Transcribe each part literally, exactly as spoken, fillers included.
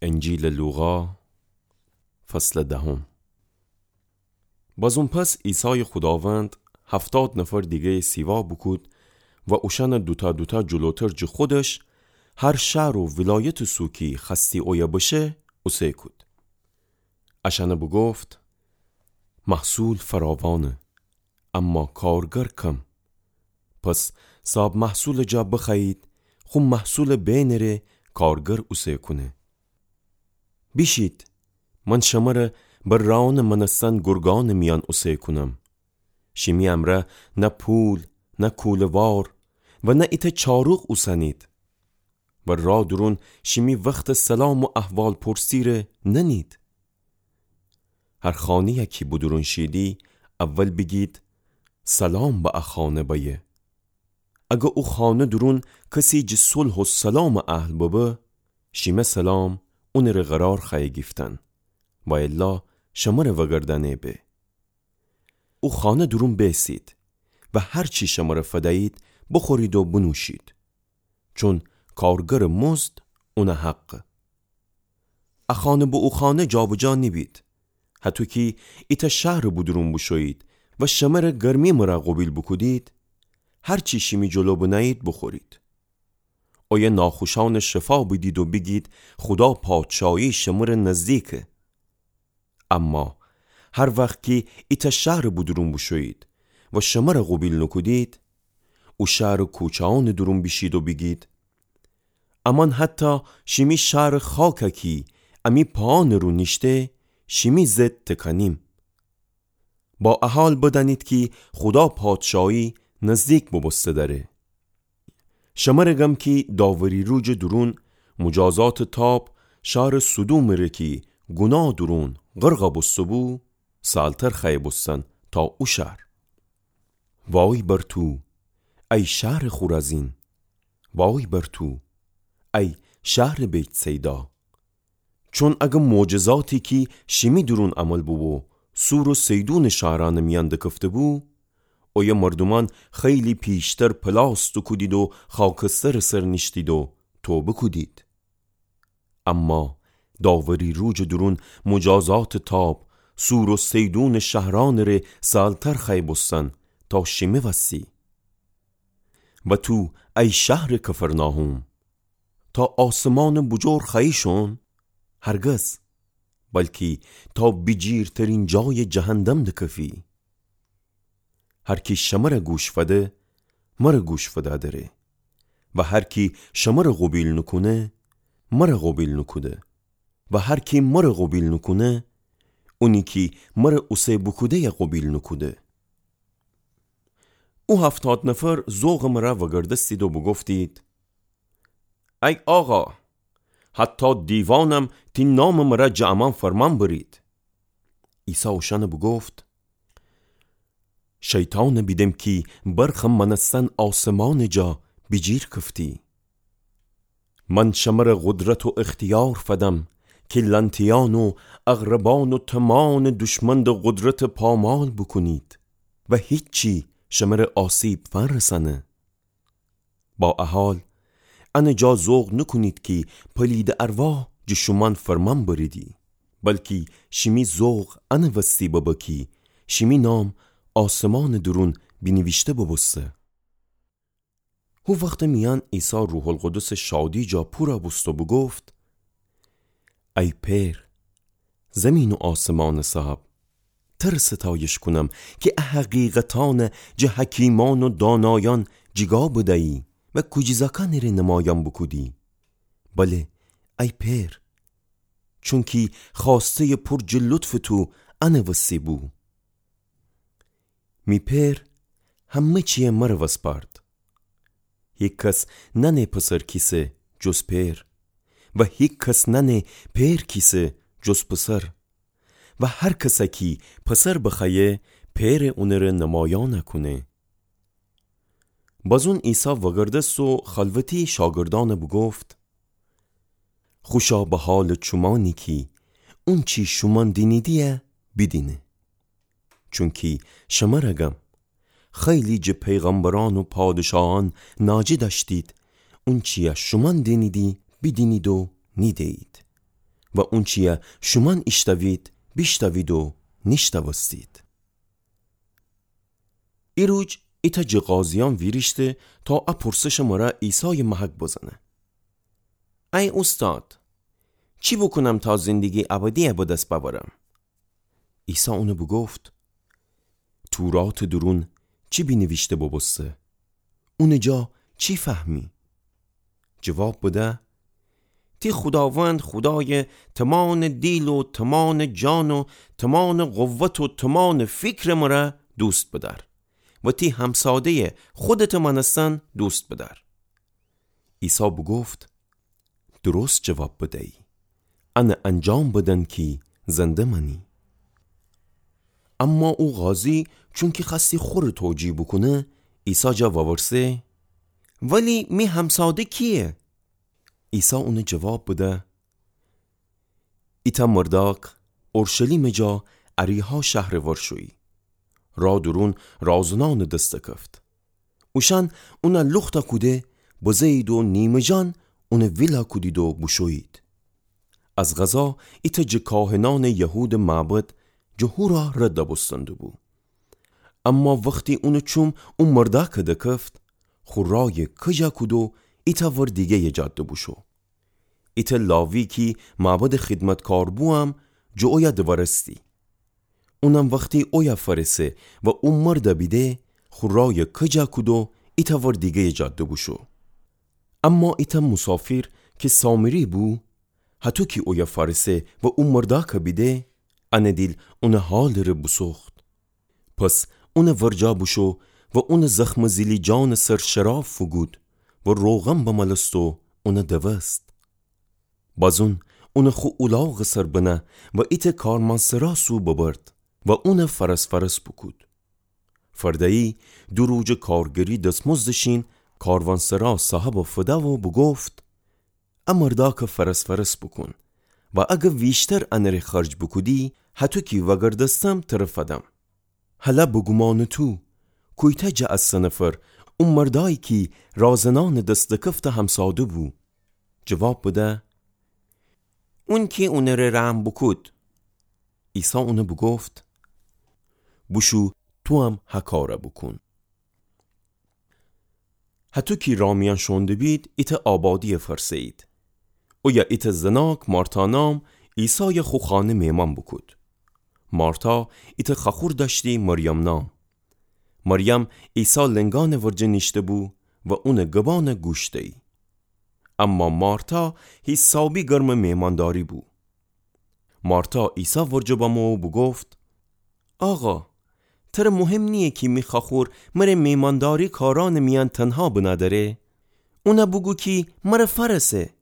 انجیلٚ لوقا، فصلٚ دهم. بازون پس عیسایٚ خوداوند هفتاد نفر دیگه‌یَ سیوا بوکود و اوشأنَ دوتا دوتا جلوتر جٚه خودش، هر شهر و ولایتٚ سو کی خوأستی اویه بشه، اوسه کود. اشأنَ بوگفت: محصول فراوانه، اما کارگر کم. پس صاحب محصولٚ جا بخوأیید خو محصولٚ بینٚره کارگر اوسه کونه. بیشید، من شمره به رأنٚ مأنستن گرگأنٚ میأن اوسه کونم. شیمی امرأ نه پول، نه کوله‌وار و نه ایتأ چاروق اوسنید. و رأ دورون شیمی وختٚ سلام و احوالپرسی‌ره ننید. هر خانه‌یی کی بودورون شیدی، اول بیگید: سلام به ا خانه بأیه. اگر او خانه دورون کسی جٚه صلح و سلامٚ اهل ببه، شیمه سلام اونٚره قرار خوأیه گیفتن، و الا شمره وأگردأنه به. او خانه دورون بیسید و هر چی شمره فدیید، بوخورید و بنوشید، چون کارگرٚ مزد اونٚ حقه. ا خانه به او خانه جابجا نیبید، هطو کی ایتأ شهرٚ بودورون بوشویید و شمره گرمی مرأ قوبیل بوکودید، هر چی شیمی جلو بنهیید بوخورید. اویه ناخوشأنٚ شفا بیدید و بیگید: خودا پادشایی شمره نزدیکه. اما هر وخت کی ایتأ شهرٚ بودورون بوشویید و شمره قوبیل نوکودید، او شهرٚ کوچه‌أنٚ دورون بیشید و بیگید: امأن حتی شیمی شهرٚ خاکه کی امی پاهانٚ رو نیشته، شیمی ضد تکانیم. با ا حال بدأنید کی خودا پادشایی نزدیک بوبوسته دأره. شمره گم کی داوری روجٚ دورون مجازاتٚ تاب شهرٚ سدومٚ ره کی گوناه دورون غرق بوسته بو، سهلتر خوأیه بوستن تا او شهر. وای بر تو، ای شهرٚ خورازین! وای بر تو، ای شهرٚ بیت‌صیدا! چون اگر معجزاتی کی شیمی دورون عمل بوبو، صور و صیدونٚ شهرأنٚ میأن دکفته بو، اویه مردومأن خیلی پیشتر پلاس دوکودید و خاکسترٚ سر نیشتید و توبه کودید. اما داوری روجٚ دورون مجازاتٚ تاب صور و صیدونٚ شهرأنٚ ره سهلتر خوأیه بوستن تا شیمی وسی. و تو، ای شهرٚ کفرناحوم، تا آسمانٚ بوجور خوأیی شون؟ هرگز، بلکی تا بیجیرترین جایٚ جهندم دکفی. هر کی شمره گوش فده، مره گوش فده دره. و هر کی شمره قوبیل نوکونه، مره قوبیل نوکوده. و هر کی مره قوبیل نوکونه، اونی کی مره اوسه بوکوده‌یه قوبیل نوکوده. او هفتاد نفر ذوقٚ مره وأگردستید و بوگفتید: ای آقا، حتی دیوانم تی نامٚ مره جٚه امأن فرمان برید. عیسی اوشأنه بوگفت: شیطانه بیدم کی برخٚ مأنستن آسمانٚ جا بیجیر کفتی. من شمره قدرت و اختیار فدم کی لأنتیأن و عقربأن و تومانٚ دشمن ده قدرت پامال بوکونید و هیچی شمره آسیب فنرسأنه. با ا حال، انٚ جا ذوق نوکونید کی پلیدٚ ارواح جٚه شومأن فرمان بریدی، بلکی شیمی ذوق انٚ وستی ببه کی شیمی نام آسمانٚ دورون بینیویشته بوبوسته. هو وختٚ میأن عیسی روح‌القدسٚ شادی جا پورَ بوست و بوگفت: ای پئر، زیمین و آسمانٚ صاحب، تره ستایش کونم کی ا حقیقتأنَ جٚه حکیمأن و دانایأن جیگا بدیی و کوجیزأکأنٚ ره نمایأن بوکودی. بله، ای پئر، چونکی خوأسته‌یٚ پور جٚه لطفٚ تو انٚ وسی بو. می پئر همه چیَ مره وسپارد. هیکس نأنه پسر کیسه جز پئر، و هیکس نأنه پئر کیسه جز پسر، و هر کس کی پسر بخوأیه، پئرَ اونٚ ره نمایأن کونه. بازون عیسی وأگردست و خلوتی شاگردأنَ بوگفت: خوشا به حالٚ چومأنی کی اونچی شومأن دینیدی‌یه بیدینه. چونکی شمره گم، خیلی جٚه پیغمبرأن و پادشاهأن ناجی دأشتید، اونچیَ شومأن دینیدی بیدینید و نیده‌یید، و اونچیی شومأن ایشتوید، بیشتوید و نیشتوستید. ایروج ایتأ جٚه قاضیأن ویریشته تا ا پرسشٚ مره عیسایٚ محک بزنه: ای اوستاد، چی بوکونم تا زندگیٚ ابدیی به دس بأورم؟ عیسی اون بوگفت: توراتٚ دورون چی بینیویشته بوبوسته؟ اونٚ جا چی فهمی؟ جواب بده: تی خوداوند خودایٚ تومانٚ دیل و تومانٚ جان و تومانٚ قوت و تومانٚ فیکرٚ مره دوست بدأر و تی همساده‌یٚ خودتٚ مأنستن دوست بدأر. عیسی بوگفت: درست جواب بدیی. ان انجام بدن کی زنده مأنی. اما او قاضی چونکی خوأستی خوره توجیه بوکونه، عیسی جا وورسه: ولی می همساده کییه؟ عیسی اون جواب بده: ایتأ مردأک اورشلیمٚ جا اریحا شهرٚ ور شویی. راه دورون رازنأنٚ دس دکفت. اوشأن اون لوخت کوده بزه‌یید و نیمه‌جان اون ویل کودید و بوشویید. از قضا ایتأ جٚه کاهنأنٚ یهودٚ معبد جٚه هو راه رد بوستندوبو. اما وختی اونٚ چوم او مردأکٚ دکفت، خو رایٚ کج کود و ایتأ ور دیگه‌یٚ جاده بوشو. ایتأ لاوی کی معبدٚ خدمتکار بو هم جٚه اویه دوأرستی. اونم وختی اویه فأرسه و او مرد بیده، خو رایٚ کج کود و ایتأ ور دیگه‌یٚ جاده بوشو. اما ایتأ موسافیر کی سامری بو، هطو کی اویه فأرسه و او مردأکٚ بیده، انٚ دیل اونٚ حالٚ ره بوسوخت. پس اونٚ ورجه بوشو و اونٚ زخمٚ زیلی جانٚ سر شراب فوگود و روغن بمألست و اون دوست. بازون اون خو اولاغٚ سر بنه و ایتأ کاروانسرا سو ببرد و اون فأرس فأرس بوکود. فرده‌یی دو روجٚ کارگری دسمزدٚ شین کاروانسرا صاحبٚ فده و بوگفت: ا مردأکٚ فأرس فأرس بوکون و اگر ویشتر انٚ ره خرج بوکودی، هطو کی وأگردستم تره فدم. هلأ به گومانٚ تو، کویتأ جٚه ا سه نفر او مردأیی کی رازنأنٚ دس دکفته همساده بو؟ جواب بده: اون کی اونٚ ره رحم بوکود. عیسی اون بوگفت: بوشو تو هم ها کار بوکون. هطو کی راه میأن شوئونده بید، ایتأ آبادی فأرسه‌یید. اویه ایتأ زناک مارتا نام عیسای خو خانه مهمان بوکود. مارتا ایتأ خوأخور دأشتی مریم نام. مریم عیسی لنگأنٚ ورجه نیشته‌بو و اونٚ گبأن گوش دیی. اما مارتا حیسابی گرمٚ مهمانداری بو. مارتا عیسی ورجه بمو و بوگفت: آقا، تره مهم نییه کی می خوأخور مره مهمانداری کارأنٚ میأن تنها بنا دأره؟ اون بوگو کی مره فأرسه.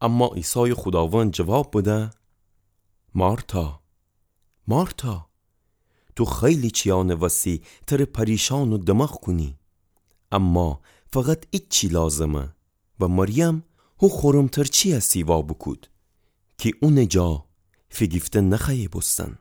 اما عیسای خوداوند جواب بده: مارتا، مارتا، تو خیلی چیأنٚ وسی تره پریشان و دماغ کونی، اما فقط ایچی لازمه و مریم هو خورمتر چیی سیوا بوکود کی اونٚ جا فیگیفته نخوأیه بوستن.